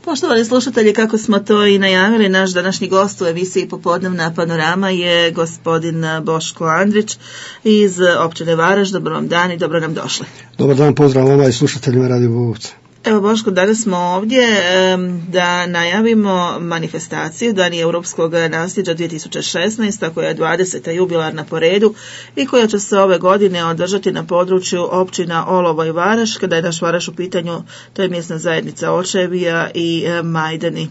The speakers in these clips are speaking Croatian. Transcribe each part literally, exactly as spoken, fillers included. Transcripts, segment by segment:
Poštovani slušatelji, kako smo to i najavili, naš današnji gost u emisiji Popodnevna panorama je gospodin Boško Andrić iz općine Varaž. Dobar vam dan i dobro nam došli. Dobar dan, pozdrav vama i slušateljima Radio Bobovca. Evo Boško, danas smo ovdje da najavimo manifestaciju Dani europskog nasljeđa dvije tisuće šesnaeste koja je dvadeseta jubilarna po redu i koja će se ove godine održati na području općina Olovo i Varaž. Kada je naš Varaž u pitanju, to je mjesna zajednica Očevija i Majdani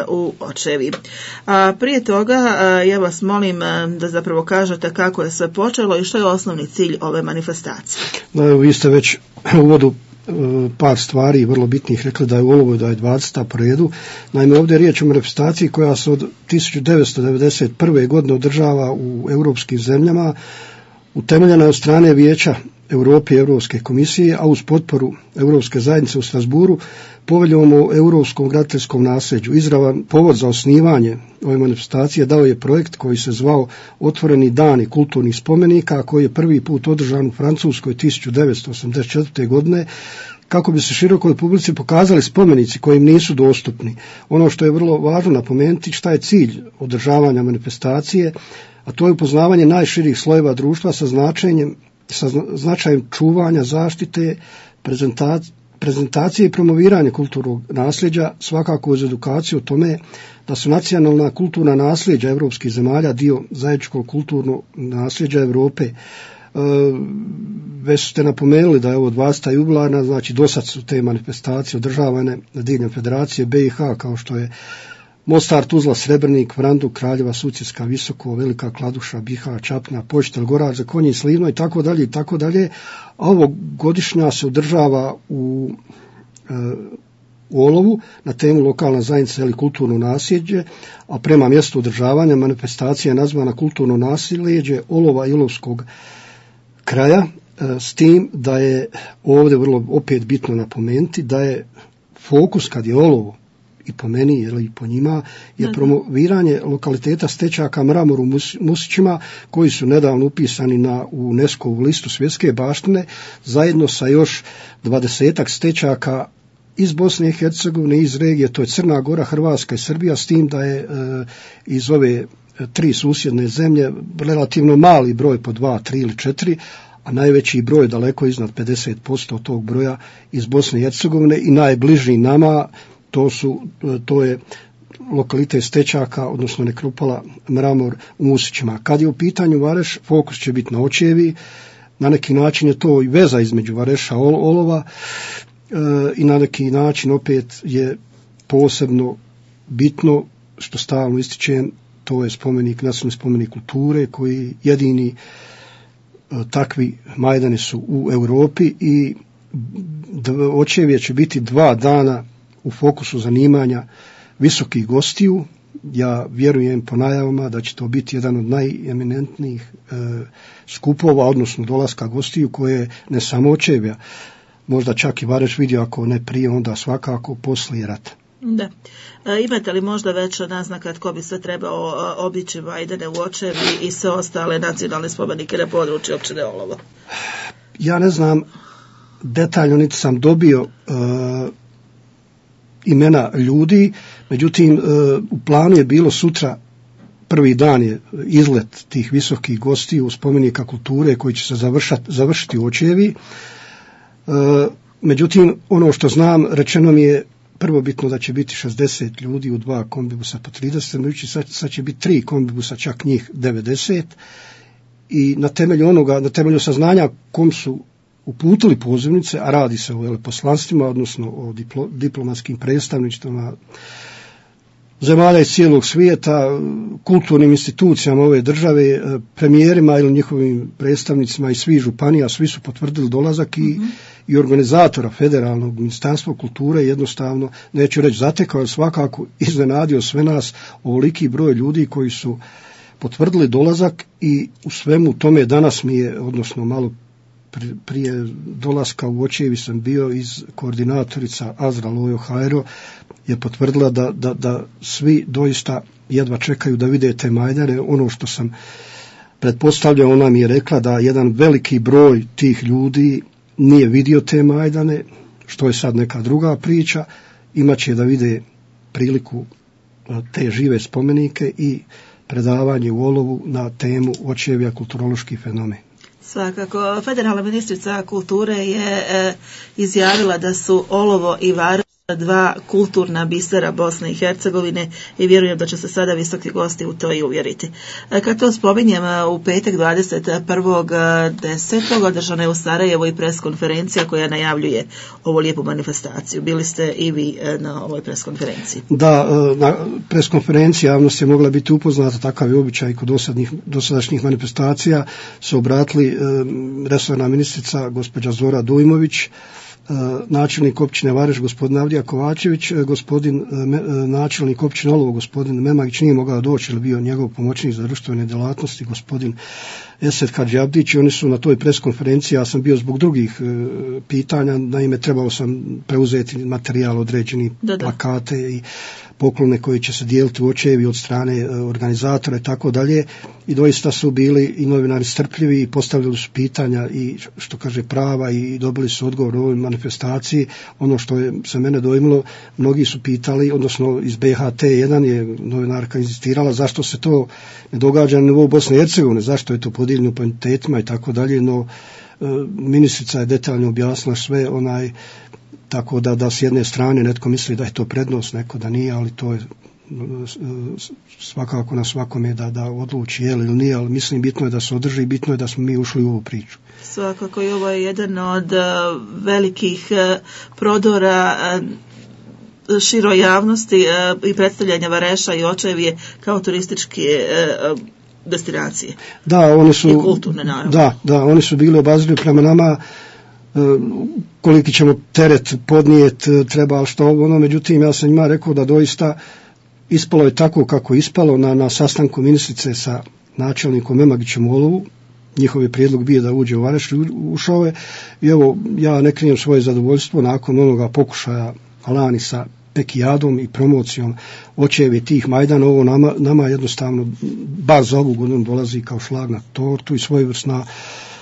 u Očevi. A prije toga ja vas molim da zapravo kažete kako je sve počelo i što je osnovni cilj ove manifestacije. Da, vi ste već u uvodu par stvari vrlo bitnih rekli da je u Olovu da je dvadeseta po redu. Naime, ovdje je riječ o manifestaciji koja se od tisuću devetsto devedeset prve godine održava u europskim zemljama, utemeljena je od strane Vijeća Europe i Europske komisije, a uz potporu Europske zajednice u Strasburu, poveljom o europskom graditeljskom nasljeđu. Izravan povod za osnivanje ove manifestacije dao je projekt koji se zvao Otvoreni dani kulturnih spomenika, koji je prvi put održan u Francuskoj tisuću devetsto osamdeset četvrte godine, kako bi se širokoj publici pokazali spomenici koji im nisu dostupni. Ono što je vrlo važno napomenuti, šta je cilj održavanja manifestacije, a to je upoznavanje najširih slojeva društva sa značenjem sa značajem čuvanja, zaštite, prezentacije, prezentacije i promoviranje kulturnog nasljeđa, svakako uz edukaciju o tome da su nacionalna kulturna nasljeđa europskih zemalja dio zajedničkog kulturnog nasljeđa Europe. E, već ste napomenuli da je ovo dvadeseta jubilarna, znači dosad su te manifestacije održavane diljem Federacije B i H, kao što je Mostar, Tuzla, Srebrnik, Vranduk, Kraljeva, Sutjeska, Visoko, Velika Kladuša, Bihar, Čapna, Počitelj, Goražde, Konji, Slivno i tako dalje i tako dalje. A ovo godišnja se održava u, e, u Olovu na temu lokalna zajednica ili kulturno nasljeđe, a prema mjestu održavanja manifestacija je nazvana kulturno nasljeđe Olova i Olovskog kraja, e, s tim da je ovdje vrlo opet bitno napomenuti da je fokus kad je Olovo i po meni ili i po njima je promoviranje lokaliteta Stečaka Mramor u Musićima koji su nedavno upisani na UNESCO-vu listu svjetske baštine zajedno sa još dvadesetak stečaka iz Bosne i Hercegovine, iz regije, to je Crna Gora, Hrvatska i Srbija, s tim da je e, iz ove tri susjedne zemlje relativno mali broj po dva, tri ili četiri, a najveći broj daleko iznad pedeset posto tog broja iz Bosne i Hercegovine i najbliži nama To, su, to je lokalitet Stečaka, odnosno nekropola Mramor u Musićima. Kad je u pitanju Vareš, fokus će biti na Očevi, na neki način je to i veza između Vareša i Olova e, i na neki način opet je posebno bitno, što stalno ističem, to je spomenik, nacionalni spomenik kulture, koji jedini e, takvi majdani su u Europi i Očevije će biti dva dana u fokusu zanimanja visokih gostiju. Ja vjerujem po najavama da će to biti jedan od najeminentnijih e, skupova, odnosno dolaska gostiju koje ne samo Očevija, možda čak i Vareš vidio, ako ne prije, onda svakako poslije rata. Da. E, imate li možda već naznaka tko bi sve trebao obići Majdane u Očevi i sve ostale nacionalne spomenike na području općine Olovo? Ja ne znam detaljno, niti sam dobio e, imena ljudi, međutim u planu je bilo sutra, prvi dan je izlet tih visokih gostiju spomenika kulture koji će se završati, završiti u Očevi. Međutim, ono što znam, rečeno mi je prvobitno da će biti šezdeset ljudi u dva kombibusa po trideset, međutim sad, sad će biti tri kombibusa, čak njih devedeset, i na temelju onoga, na temelju saznanja kom su uputili pozivnice, a radi se o veleposlanstvima, odnosno o diplo, diplomatskim predstavništvima zemalja iz cijelog svijeta, kulturnim institucijama ove države, premijerima ili njihovim predstavnicima iz svih županija, svi su potvrdili dolazak i, mm-hmm. i organizatora federalnog ministarstva kulture jednostavno, neću reći zatekao, ali svakako iznenadio sve nas ovoliki broj ljudi koji su potvrdili dolazak i u svemu tome danas mi je, odnosno malo prije dolaska u Očevi sam bio iz koordinatorica Azra Lojo Hajro je potvrdila da, da, da svi doista jedva čekaju da vide te majdane. Ono što sam pretpostavljao, ona mi je rekla da jedan veliki broj tih ljudi nije vidio te majdane, što je sad neka druga priča, imat će da vide priliku te žive spomenike i predavanje u Olovu na temu očevija kulturološki fenomen. Svakako, federalna ministrica kulture je e, izjavila da su Olovo i Varaš dva kulturna bisera Bosne i Hercegovine i vjerujem da će se sada visoki gosti u to i uvjeriti. E, kad to spominjem, u petak dvadeset prvog desetog održana je u Sarajevu i preskonferencija koja najavljuje ovu lijepu manifestaciju. Bili ste i vi na ovoj preskonferenciji? Da, na preskonferenciji javnost je mogla biti upoznata, takav je običaj kod dosadnih, dosadašnjih manifestacija, su obratili e, resorna ministrica gospođa Zora Dujmović, načelnik općine Vareš gospodin Avdija Kovačević, gospodin načelnik općine Olovo gospodin Memagić nije mogao doći, jer bio njegov pomoćnik za društvene djelatnosti gospodin Esed Hadžabdić, i oni su na toj preskonferenciji, ja sam bio zbog drugih e, pitanja, naime trebao sam preuzeti materijal, određeni da, da. plakate i poklone koji će se dijeliti u Očevi od strane e, organizatora i tako dalje, i doista su bili i novinari strpljivi i postavljali su pitanja i što kaže prava i dobili su odgovor u ovoj manifestaciji. Ono što je se mene dojmilo, mnogi su pitali, odnosno iz B H T jedan je novinarka inzistirala zašto se to ne događa na nivou Bosne i Hercegovine, zašto je to podijeljeno po entitetima i tako dalje, no e, ministrica je detaljno objasnila sve, onaj, tako da, da s jedne strane netko misli da je to prednost, neko da nije, ali to je svakako na svakome da, da odluči je li ili nije, ali mislim bitno je da se održi i bitno je da smo mi ušli u ovu priču. Svakako i ovo je jedan od uh, velikih uh, prodora uh, široj javnosti uh, i predstavljanja Vareša i Očevije kao turističke uh, destinacije. Da, oni su, i kulturne naravno. Da, da, oni su bili obazrivi prema nama, koliki ćemo teret podnijeti, treba što ono, međutim ja sam njima rekao da doista ispalo je tako kako je ispalo na, na sastanku ministrice sa načelnikom Memagićem u Olovu. Njihov je prijedlog bio da uđe u Vareš, ušao je, i evo ja ne krijem svoje zadovoljstvo nakon onoga pokušaja lani sa pekijadom i promocijom Očevi tih Majdana, ovo nama, nama jednostavno bar za ovu godinu dolazi kao šlag na tortu i svojevrsna,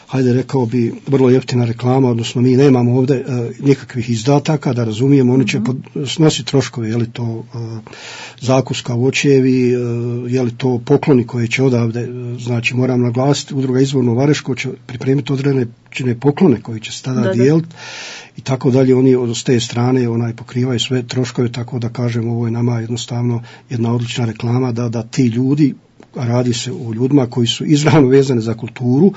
hajde rekao bi, vrlo jeftina reklama, odnosno mi nemamo ovdje e, nikakvih izdataka, da razumijemo, oni će pod, snositi troškove, je li to e, zakuska u Očevi, e, je li to pokloni koje će odavde, e, znači moram naglasiti, udruga Izvorno Vareško će pripremiti određene poklone koje će se tada dijeliti i tako dalje, oni od te strane onaj pokrivaju sve troškove, tako da kažem, ovo je nama jednostavno jedna odlična reklama da, da ti ljudi, a radi se o ljudima koji su izravno vezani za kulturu,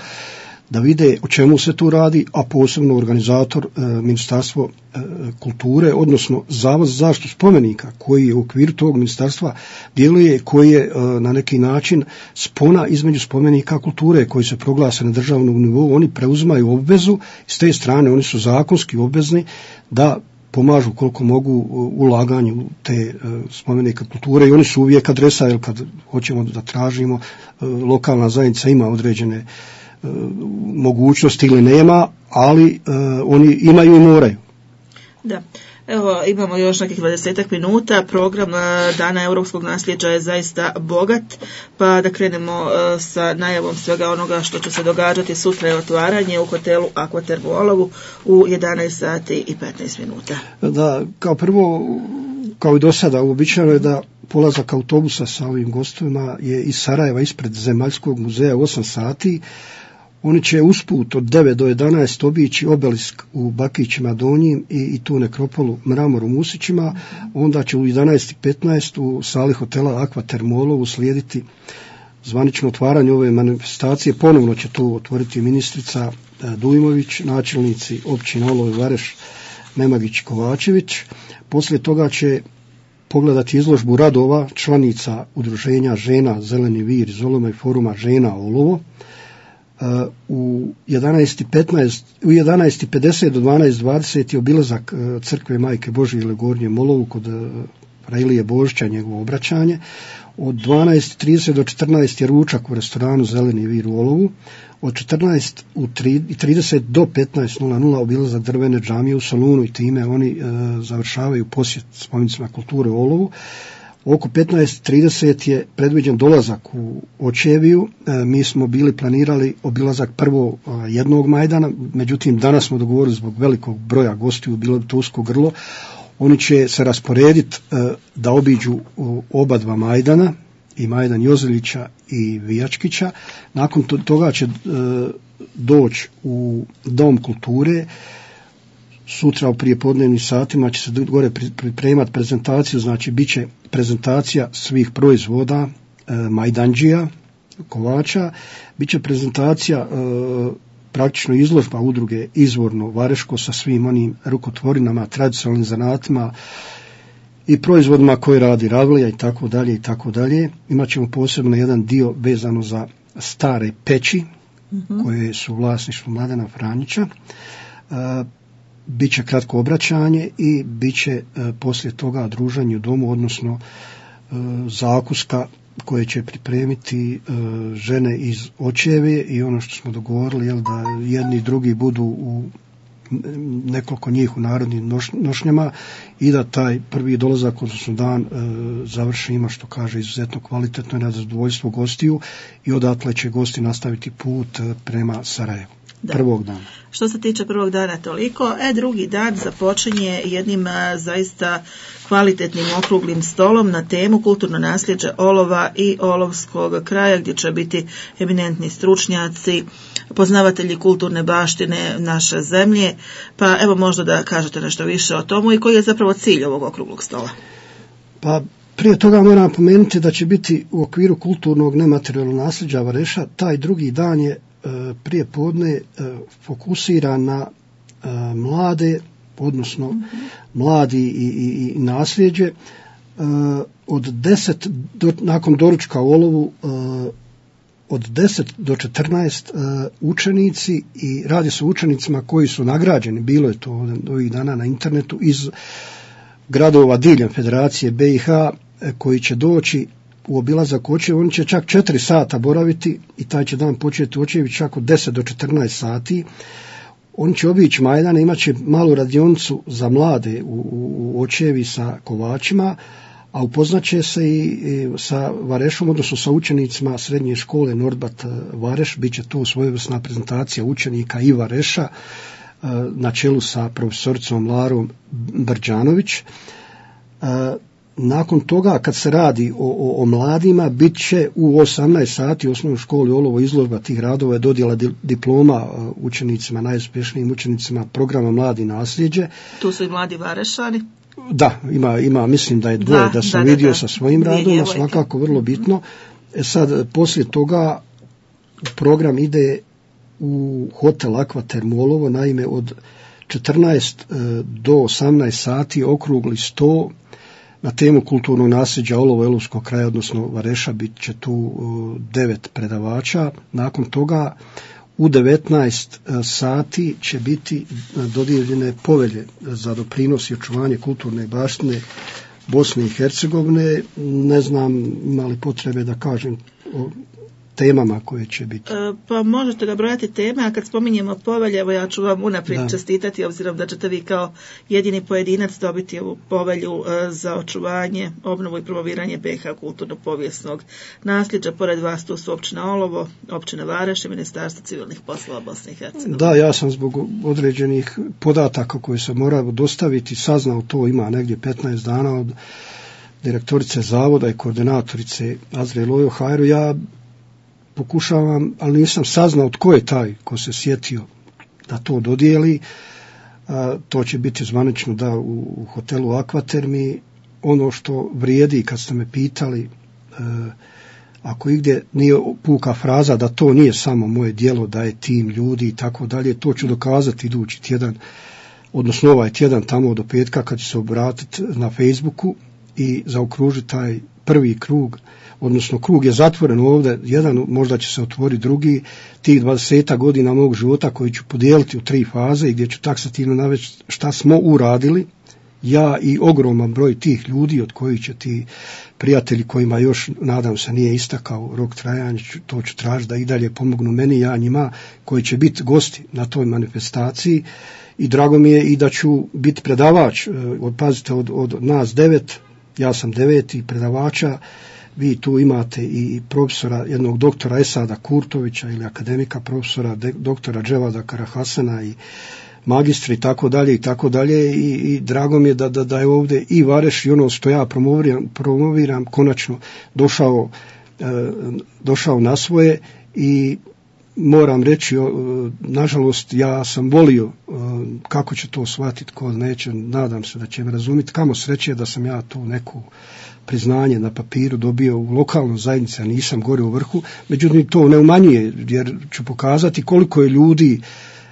da vide o čemu se tu radi, a posebno organizator e, Ministarstvo e, kulture, odnosno Zavod za zaštitu spomenika, koji u okviru tog ministarstva djeluje, koji je e, na neki način spona između spomenika kulture koji se proglase na državnom nivou. Oni preuzimaju obvezu, s te strane oni su zakonski obvezni da pomažu koliko mogu ulaganju u te e, spomenike kulture, i oni su uvijek adresa, jer kad hoćemo da tražimo, e, lokalna zajednica ima određene mogućnosti ili nema, ali uh, oni imaju i moraju. Da. Evo, imamo još nekih dvadesetak minuta. Program uh, Dana europskog nasljeđa je zaista bogat, pa da krenemo uh, sa najavom svega onoga što će se događati. Sutra je otvaranje u hotelu Aquaterm u Olovu u jedanaest sati i petnaest minuta. Da, kao prvo, kao i do sada, uobičajeno je da polazak autobusa sa ovim gostovima je iz Sarajeva ispred Zemaljskog muzeja u osam sati. Oni će usput od devet do jedanaest obići obelisk u Bakićima Donjim i, i tu nekropolu Mramor u Musićima. Onda će u jedanaest i petnaest u sali hotela Aquaterm u Olovu slijediti zvanično otvaranje ove manifestacije. Ponovno će tu otvoriti ministrica Dujmović, načelnici općina Olovo i Vareš Memagić Kovačević. Poslije toga će pogledati izložbu radova članica udruženja žena Zeleni vir iz Oloma i foruma žena Olovo. U jedanaest i petnaest, u jedanaest i pedeset do dvanaest i dvadeset je obilazak crkve Majke Božje ili Gornje Molovu kod Railije Božića, njegovo obraćanje. Od dvanaest i trideset do četrnaest je ručak u restoranu Zeleni vir u Olovu. Od četrnaest i trideset do petnaest obilazak drvene džamije u Solunu, i time oni e, završavaju posjet spomenicima kulture u Olovu. Oko petnaest i trideset je predviđen dolazak u Očeviju. E, mi smo bili planirali obilazak prvo a, jednog Majdana, međutim danas smo dogovorili zbog velikog broja gostiju, bilo bi to usko grlo. Oni će se rasporediti da obiđu oba dva Majdana, i Majdan Jozelića i Vijačkića. Nakon toga će doći u Dom kulture. Sutra u prijepodnevnim satima će se gore pripremati prezentaciju, znači bit će prezentacija svih proizvoda Majdanđija, kovača, bit će prezentacija e, praktično izložba udruge Izvorno Vareško sa svim onim rukotvorinama, tradicionalnim zanatima i proizvodima koje radi Ravlija i tako dalje i tako dalje. Imaćemo posebno jedan dio vezano za stare peći, mm-hmm. koje su vlasništvo Mladena Franjića. E, Biće kratko obraćanje i biće e, poslije toga druženje u domu, odnosno e, zakuska koje će pripremiti e, žene iz Očeve i ono što smo dogovorili, jel, da jedni i drugi budu u nekoliko njih u narodnim noš, nošnjama i da taj prvi dolazak, odnosno dan, e, završimo, što kaže, izuzetno kvalitetno i na zadovoljstvo gostiju i odatle će gosti nastaviti put e, prema Sarajevu. Da. Prvog dana. Što se tiče prvog dana toliko, e drugi dan započinje jednim a, zaista kvalitetnim okruglim stolom na temu kulturno nasljeđe olova i olovskog kraja, gdje će biti eminentni stručnjaci, poznavatelji kulturne baštine naše zemlje, pa evo možda da kažete nešto više o tomu i koji je zapravo cilj ovog okruglog stola. Pa prije toga moram napomenuti da će biti u okviru kulturnog nematerijalnog nasljeđa Vareša, taj drugi dan je prije podne fokusiran na mlade, odnosno mm-hmm. mladi i, i, i nasljeđe. Od deset do, nakon doručka u olovu od deset do četrnaest učenici, i radi se o učenicima koji su nagrađeni, bilo je to ovih dana na internetu, iz gradova diljem Federacije B i H, koji će doći u obilazak Očeva. Oni će čak četiri sata boraviti i taj će dan početi u Očevi čak od deset do četrnaest sati. Oni će obići Majdane, imat će malu radionicu za mlade u, u Očevi sa kovačima, a upoznaće se i, i sa Varešom, odnosno sa učenicima srednje škole Nordbat Vareš. Biće tu svojevrsna prezentacija učenika i Vareša na čelu sa profesoricom Larom Brđanović. Nakon toga, kad se radi o, o, o mladima, bit će u osamnaest sati u osnovnoj školi Olovo izložba tih radova je dodjela di, diploma učenicima, najuspješnijim učenicima programa Mladi nasljeđe. Tu su i mladi Varešani. Da, ima, ima, mislim da je dvoje da, da sam da, vidio da, da. sa svojim radovima, svakako vrlo bitno. E sad, poslije toga program ide u hotel Akvatermu Olovo, naime od četrnaest do osamnaest sati okrugli sto na temu kulturnog nasljeđa Olovo Elovskog kraja, odnosno Vareša. Bit će tu devet predavača. Nakon toga u devetnaest sati će biti dodijeljene povelje za doprinos i očuvanje kulturne baštine Bosne i Hercegovine. Ne znam ima li potrebe da kažem o temama koje će biti. E, pa možete ga brojati teme, a kad spominjemo povelje, evo ja ću vam unaprijed da. čestitati, obzirom da ćete vi kao jedini pojedinac dobiti ovu povelju e, za očuvanje, obnovu i promoviranje B i H kulturno-povijesnog nasljeđa. Pored vas tu su općina Olovo, općina Vareš i Ministarstvo civilnih poslova Bosne i Hercegovine. Da, ja sam zbog određenih podataka koje sam morao dostaviti saznao to, ima negdje petnaest dana od direktorice zavoda i koordinatorice Azre Lojo Hajru. Ja pokušavam, ali nisam saznao tko je taj ko se sjetio da to dodijeli. A, to će biti zvanično da u, u hotelu Akvatermi. Ono što vrijedi, kad ste me pitali, a, ako igdje nije puka fraza da to nije samo moje djelo, da je tim ljudi i tako dalje, to ću dokazati idući tjedan, odnosno ovaj tjedan tamo do petka kad ću se obratiti na Facebooku i zaokružiti taj prvi krug, odnosno krug je zatvoren ovdje, jedan možda će se otvoriti drugi, tih dvadeset godina mog života koji ću podijeliti u tri faze i gdje ću taksativno navesti šta smo uradili, ja i ogroman broj tih ljudi od kojih će ti prijatelji kojima još, nadam se, nije istakao rok trajanja, to ću tražiti da i dalje pomognu meni, ja njima, koji će biti gosti na toj manifestaciji. I drago mi je i da ću biti predavač, od, pazite, od, od nas devet, ja sam deveti predavača, vi tu imate i profesora, jednog doktora Esada Kurtovića ili akademika profesora de, doktora Dževada Karahasana i magistri i tako dalje i tako dalje i, i drago mi je da, da, da je ovdje i Vareš i ono što ja promoviram, promoviram konačno došao, e, došao na svoje i moram reći, nažalost, ja sam volio kako će to shvatiti, ko neće, nadam se da će me razumjeti, kamo sreće da sam ja tu neku priznanje na papiru dobio u lokalnoj zajednici, a nisam gore u vrhu, međutim to ne umanjuje, jer ću pokazati koliko je ljudi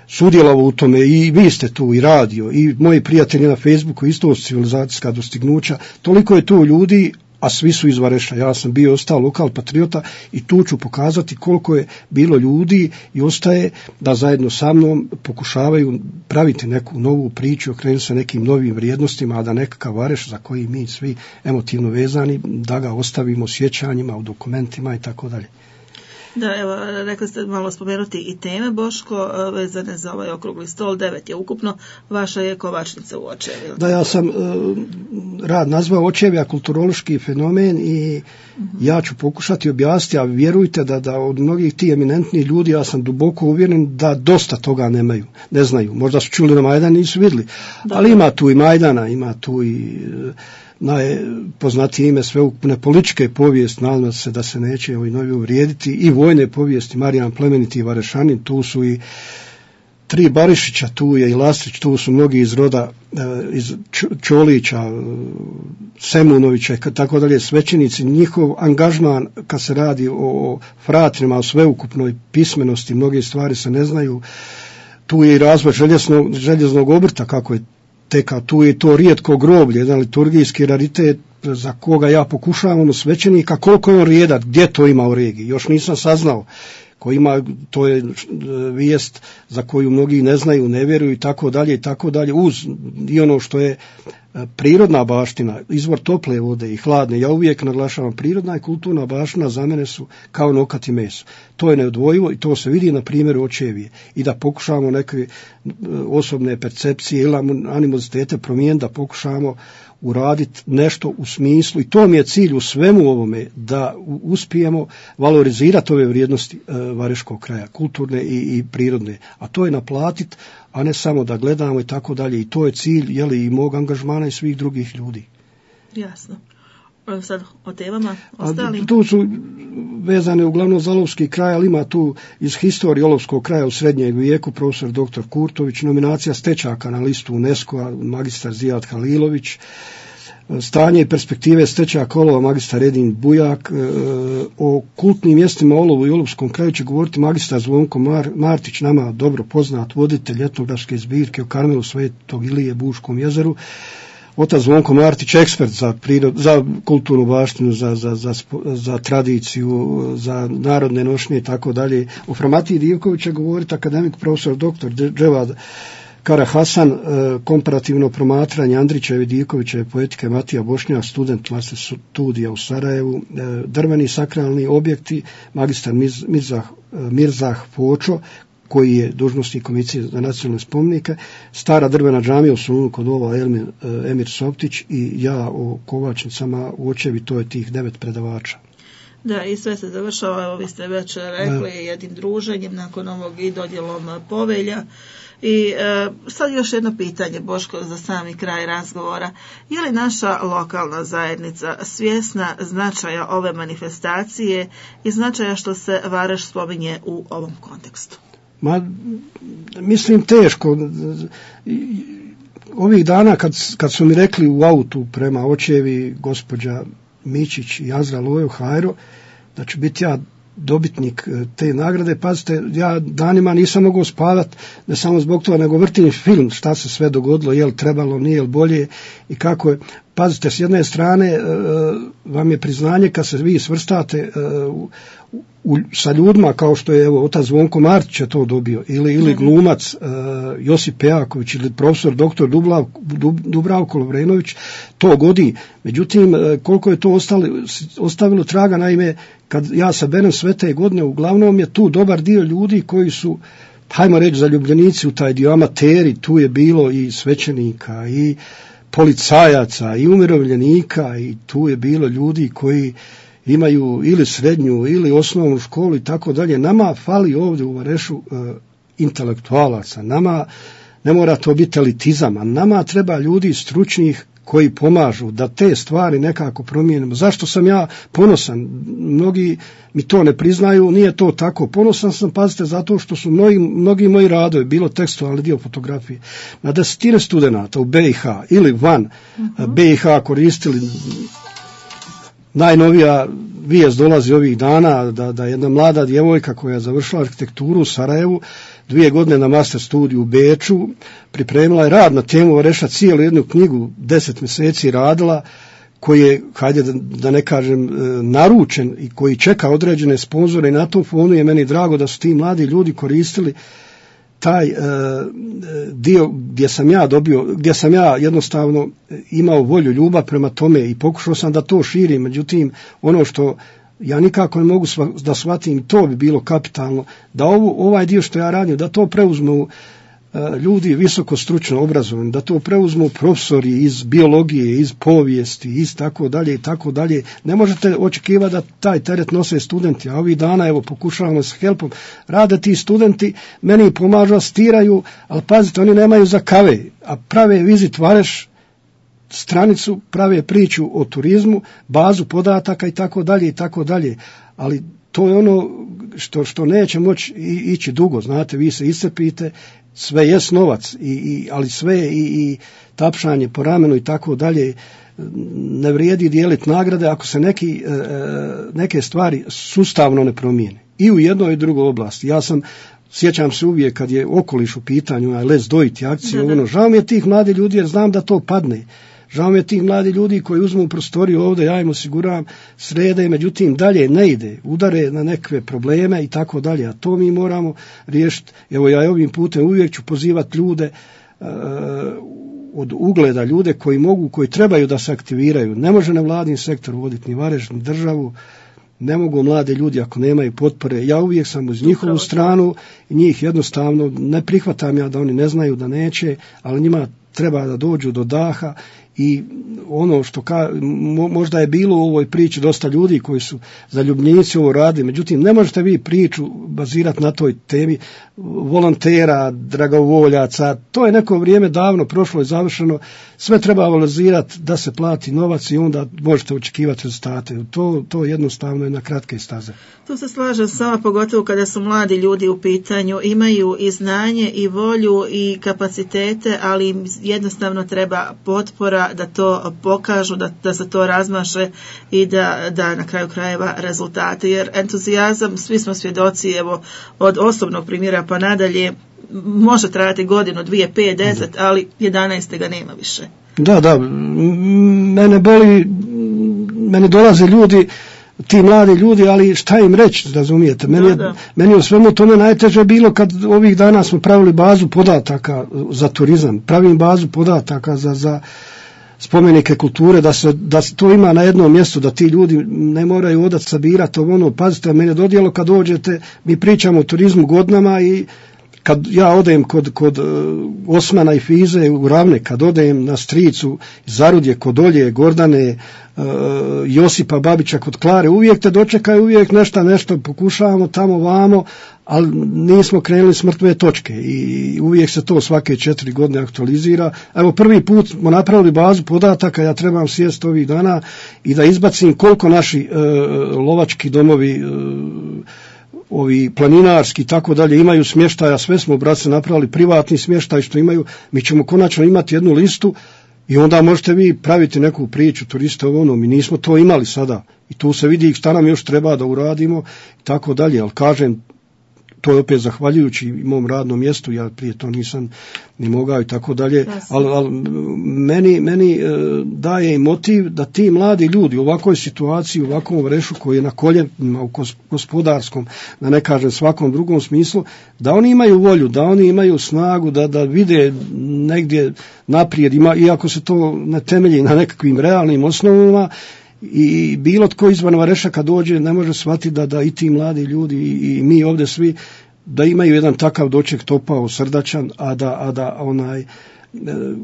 sudjelovao u tome i vi ste tu i radio i moji prijatelji na Facebooku isto civilizacijska dostignuća, toliko je tu ljudi, a svi su iz Vareša. Ja sam bio ostao lokal patriota i tu ću pokazati koliko je bilo ljudi i ostaje da zajedno sa mnom pokušavaju praviti neku novu priču, okrenuti se nekim novim vrijednostima, a da nekakav Vareš za koji mi svi emotivno vezani, da ga ostavimo sjećanjima u dokumentima i tako dalje. Da, evo, rekli ste malo spomenuti i teme, Boško, vezane za ovaj okrugli stol, devet je ukupno, vaša je Kovačnica u Očevi. Da, ja sam uh, rad nazvao Očevija kulturološki fenomen i uh-huh. ja ću pokušati objasniti, a vjerujte da, da od mnogih tih eminentnih ljudi ja sam duboko uvjeren da dosta toga nemaju, ne znaju. Možda su čuli na Majdan, nisu vidjeli, da. Ali ima tu i Majdana, ima tu i... Uh, najpoznatije ime sveukupne političke povijesti, nadam se da se neće ovi novi uvrijediti, i vojne povijesti, Marijan Plemeniti i Varešanin, tu su i tri Barišića, tu je i Lastrić, tu su mnogi iz roda, iz Čolića, Semunovića i tako dalje, svećenici, njihov angažman kad se radi o fratrima, o sveukupnoj pismenosti, mnoge stvari se ne znaju, tu je i razvoj željeznog, željeznog obrta, kako je teka, tu je to rijetko groblje, jedan liturgijski raritet za koga ja pokušavam svećenika, koliko je on rijedak, gdje to ima u regiji, još nisam saznao, ko ima, to je vijest za koju mnogi ne znaju, ne vjeruju i tako dalje i tako dalje, uz i ono što je prirodna baština, izvor tople vode i hladne, ja uvijek naglašavam, prirodna i kulturna baština za mene su kao nokat i meso. To je neodvojivo i to se vidi na primjeru Očevije. I da pokušamo neke osobne percepcije ili animozitete promijeniti, da pokušamo uraditi nešto u smislu, i to mi je cilj u svemu ovome, da uspijemo valorizirati ove vrijednosti e, Vareškog kraja, kulturne i, i prirodne, a to je naplatiti, a ne samo da gledamo i tako dalje, i to je cilj, jeli, i mog angažmana i svih drugih ljudi. Jasno. Sad o temama ostalim. Tu su vezane uglavnom za Olovski kraj, ali ima tu iz historije Olovskog kraja u srednjem vijeku profesor doktor Kurtović, nominacija stečaka na listu UNESCO-a, magistar Zijad Halilović, stanje i perspektive stečaka olova, magistar Edin Bujak, o kultnim mjestima Olovu i Olovskom kraju će govoriti magistar Zvonko Mar- Martić, nama dobro poznat voditelj etnografske zbirke o Karmelu Svetog Ilije, Buškom jezeru, otac Zvonko Martić, ekspert za, prirod, za kulturnu baštinu, za, za, za, za tradiciju, za narodne nošnje i tako dalje. O Framatiji Divković će govoriti akademik profesor doktor Dževad Kara Hasan, komparativno promatranje Andrićeve i Divkovićeve poetike Matija Bošnjak, student master studija u Sarajevu, drveni sakralni objekti, magistar Mirzah, Mirzah Počo, koji je dužnosnik Komisije za nacionalne spomenike, stara drvena džamija u Solunu kod ova Emir, Emir Soptić, i ja o Kovačnicama u Očevi, to je tih devet predavača. Da, i sve se završava, evo vi ste već rekli, da. jednim druženjem nakon ovog i dodjelom povelja. I e, sad još jedno pitanje, Boško, za sami kraj razgovora. Je li naša lokalna zajednica svjesna značaja ove manifestacije i značaja što se Vareš spominje u ovom kontekstu? Ma, mislim teško. Ovih dana kad, kad su mi rekli u autu prema Očevi gospođa Mičić i Azra Lojo Hajro da ću biti ja dobitnik te nagrade, pazite, ja danima nisam mogao spavati, ne samo zbog toga, nego vrtim film šta se sve dogodilo, je li trebalo, nije li bolje i kako je. Pazite, s jedne strane e, vam je priznanje kad se vi svrstate e, u, u, sa ljudima kao što je evo otac Zvonko Martić je to dobio, ili, ili glumac e, Josip Pejaković ili profesor doktor Dublav, Dub, Dubravko Lovrenović, to godi. Međutim, e, koliko je to ostali, ostavilo traga, naime, kad ja saberem sve te godine, uglavnom je tu dobar dio ljudi koji su, hajmo reći, zaljubljenici u taj dio, amateri, tu je bilo i svećenika i policajaca i umirovljenika, i tu je bilo ljudi koji imaju ili srednju ili osnovnu školu i tako dalje. Nama fali ovdje u Varešu e, intelektualaca, nama ne mora to biti elitizam, a nama treba ljudi stručnih koji pomažu da te stvari nekako promijenimo. Zašto sam ja ponosan? Mnogi mi to ne priznaju, nije to tako. Ponosan sam, pazite, zato što su mnogi, mnogi moji radovi, bilo tekstualni dio fotografije, na desetine studenata u B i H ili van uh-huh. B i H koristili. Najnovija vijest dolazi ovih dana da, da jedna mlada djevojka koja je završila arhitekturu u Sarajevu, dvije godine na master studiju u Beču, pripremila je rad na temu Vareša, cijelu jednu knjigu, deset mjeseci radila, koji je, hajde da, da ne kažem, naručen i koji čeka određene sponzore, i na tom fonu je meni drago da su ti mladi ljudi koristili taj uh, dio gdje sam ja dobio, gdje sam ja jednostavno imao volju, ljubav prema tome i pokušao sam da to širim, međutim ono što ja nikako ne mogu sva, da shvatim, to bi bilo kapitalno, da ovo, ovaj dio što ja radim, da to preuzmu uh, ljudi visoko stručno obrazovani, da to preuzmu profesori iz biologije, iz povijesti, iz tako dalje i tako dalje. Ne možete očekivati da taj teret nose studenti, a ovih dana evo pokušavamo s helpom, rade ti studenti, meni pomažu, asistiraju, ali pazite, oni nemaju za kave, a prave Vizit Vareš stranicu, prave priču o turizmu, bazu podataka i tako dalje i tako dalje, ali to je ono što, što neće moći ići dugo, znate, vi se iscrpite, sve jest novac, i, i, ali sve i, i tapšanje po ramenu i tako dalje, ne vrijedi dijeliti nagrade ako se neki, neke stvari sustavno ne promijene. I u jednoj i drugoj oblasti. Ja sam, sjećam se uvijek kad je okoliš u pitanju, Let's Do It akcije, ono, žao mi je tih mladi ljudi jer znam da to padne. Žao mi je tih mladi ljudi koji uzmu prostoriju ovdje, ja im osiguravam srede, međutim dalje ne ide, udare na neke probleme i tako dalje, a to mi moramo riješiti. Evo ja ovim putem uvijek ću pozivati ljude uh, od ugleda, ljude koji mogu, koji trebaju da se aktiviraju. Ne može nevladin sektor voditi ni Vareš, ni državu, ne mogu mlade ljudi ako nemaju potpore. Ja uvijek sam uz njihovu stranu i njih jednostavno ne prihvatam ja da oni ne znaju da neće, ali njima treba da dođu do daha. I ono što ka, možda je bilo u ovoj priči dosta ljudi koji su zaljubljenici ovo radili, međutim ne možete vi priču bazirati na toj temi volontera, dragovoljaca, to je neko vrijeme davno prošlo i završeno, sve treba valorizirati da se plati novac i onda možete očekivati rezultate. To, to jednostavno je na kratke staze. Tu se slažem sama, pogotovo kada su mladi ljudi u pitanju, imaju i znanje i volju i kapacitete, ali im jednostavno treba potpora da to pokažu, da, da se to razmaše i da, da na kraju krajeva rezultate, jer entuzijazam, svi smo svjedoci, evo, od osobnog primjera pa nadalje, može trajati godinu, dvije, pet, deset, ali jedanaeste ga nema više. Da, da, mene boli, meni dolaze ljudi, ti mladi ljudi, ali šta im reći, razumijete? Meni, je, meni je u svemu tome najteže bilo kad ovih dana smo pravili bazu podataka za turizam, pravim bazu podataka za, za spomenike kulture, da se, da se to ima na jednom mjestu, da ti ljudi ne moraju odat sabirati ono, pazite, meni je dodijelo kad dođete, mi pričamo o turizmu godinama i kad ja odem kod, kod Osmana i Fize u Ravne, kad odem na Stricu, Zarudje, kod Olje, Gordane, Josipa Babića kod Klare, uvijek te dočekaju, uvijek nešto, nešto pokušavamo tamo vamo, ali nismo krenuli s mrtve točke i uvijek se to svake četiri godine aktualizira. Evo prvi put smo napravili bazu podataka, ja trebam sjesti ovih dana i da izbacim koliko naši e, lovački domovi, e, ovi planinarski i tako dalje imaju smještaja, sve smo brace napravili privatni smještaj što imaju, mi ćemo konačno imati jednu listu i onda možete vi praviti neku priču turista ono, mi nismo to imali sada i tu se vidi šta nam još treba da uradimo i tako dalje, ali kažem, to je opet zahvaljujući mom radnom mjestu, ja prije to nisam ni mogao i tako dalje, ali, ali meni, meni e, daje i motiv da ti mladi ljudi u ovakvoj situaciji, u ovakvom Varešu koji je na koljenima u gospodarskom, da ne kažem svakom drugom smislu, da oni imaju volju, da oni imaju snagu, da, da vide negdje naprijed, ima, iako se to ne temelji na nekakvim realnim osnovama, i bilo tko izvan Vareša kad dođe ne može shvatiti da, da i ti mladi ljudi i, i mi ovdje svi da imaju jedan takav doček topao, srdačan, a da, a da onaj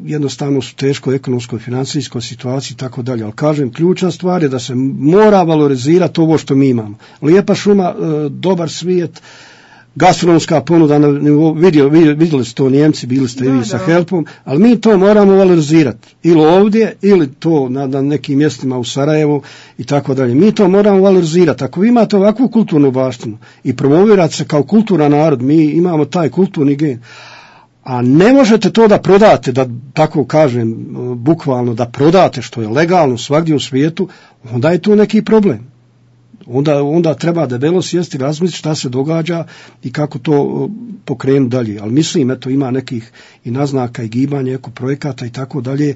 jednostavno su teško ekonomskoj, financijskoj situaciji i tako dalje. Ali kažem, ključna stvar je da se mora valorizirati ovo što mi imamo. Lijepa šuma, dobar svijet, gastronomska ponuda, vidio, vidjeli ste to Njemci, bili ste i vi sa Helpom, ali mi to moramo valorizirati. Ili ovdje, ili to na, na nekim mjestima u Sarajevu i tako dalje. Mi to moramo valorizirati. Ako vi imate ovakvu kulturnu baštinu i promovirate se kao kulturan narod, mi imamo taj kulturni gen. A ne možete to da prodate, da tako kažem, bukvalno da prodate što je legalno svagdje u svijetu, onda je tu neki problem. Onda, onda treba debelo sjesti, razmisliti šta se događa i kako to pokrenuti dalje. Ali mislim, eto, ima nekih i naznaka i gibanja, eko projekata i tako dalje,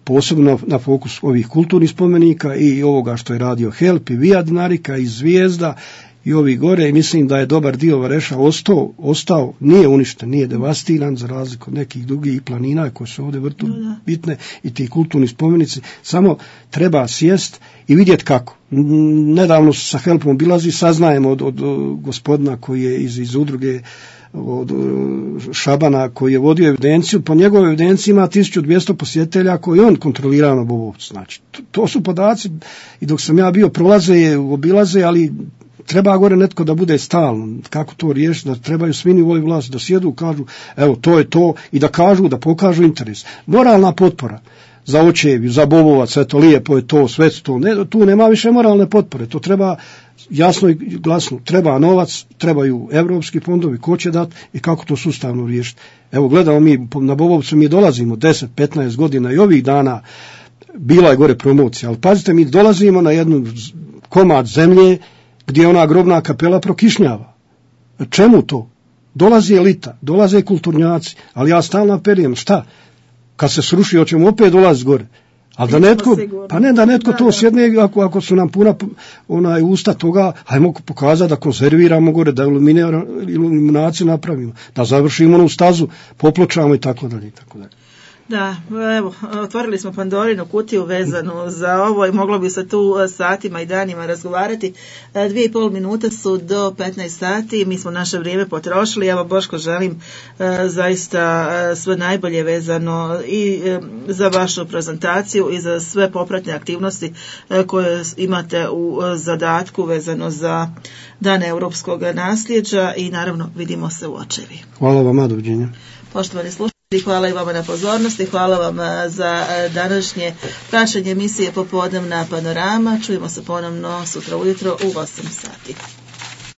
posebno na fokus ovih kulturnih spomenika i ovoga što je radio Help i Via Dinarika i Zvijezda i ovi gore, i mislim da je dobar dio Vareša ostao, ostao, nije uništen, nije devastiran za razliku od nekih drugih planina koje su ovdje vrtu bitne i ti kulturni spomenici, samo treba sjest i vidjeti kako. Nedavno sa Helpom obilazi, saznajemo od, od gospodina koji je iz, iz udruge od Šabana koji je vodio evidenciju, po njegovoj evidenciji ima tisuću dvjesto posjetitelja koji on kontrolira na Bobovcu. Znači, to, to su podaci i dok sam ja bio prolaze, obilaze, ali treba gore netko da bude stalno. Kako to riješiti? Da trebaju svi nivoi vlasti da sjedu, kažu evo to je to i da kažu, da pokažu interes. Moralna potpora za očevi, za Bobovac, eto lijepo je to, sve to. Ne, tu nema više moralne potpore. To treba jasno i glasno. Treba novac, trebaju evropski fondovi, ko će dati i kako to sustavno riješiti. Evo gledamo mi, na Bobovcu mi dolazimo deset petnaest godina i ovih dana bila je gore promocija, ali pazite, mi dolazimo na jednu komad zemlje gdje ona grobna kapela prokišnjava. Čemu to? Dolazi elita, dolaze kulturnjaci, ali ja stalno apeliram, šta? Kad se sruši, hoćemo opet dolaziti gore. Ali da netko, pa ne da netko to sjedne, ako, ako su nam puna onaj usta toga, hajmo pokazati da konzerviramo gore, da iluminaciju napravimo, da završimo onu stazu, popločamo i tako dalje i tako dalje. Da, evo, otvorili smo Pandorinu kutiju vezanu za ovo i moglo bi se tu satima i danima razgovarati. Dvije i pol minute su do petnaest sati, mi smo naše vrijeme potrošili. Evo, Boško, želim zaista sve najbolje vezano i za vašu prezentaciju i za sve popratne aktivnosti koje imate u zadatku vezano za Dan europskog nasljeđa i naravno vidimo se u očevi. Hvala vam, doviđenja. Poštovani slušatelji, hvala i vama na pozornosti, hvala vam za današnje praćenje emisije Popodnevna panorama. Čujemo se ponovno sutra ujutro u osam sati.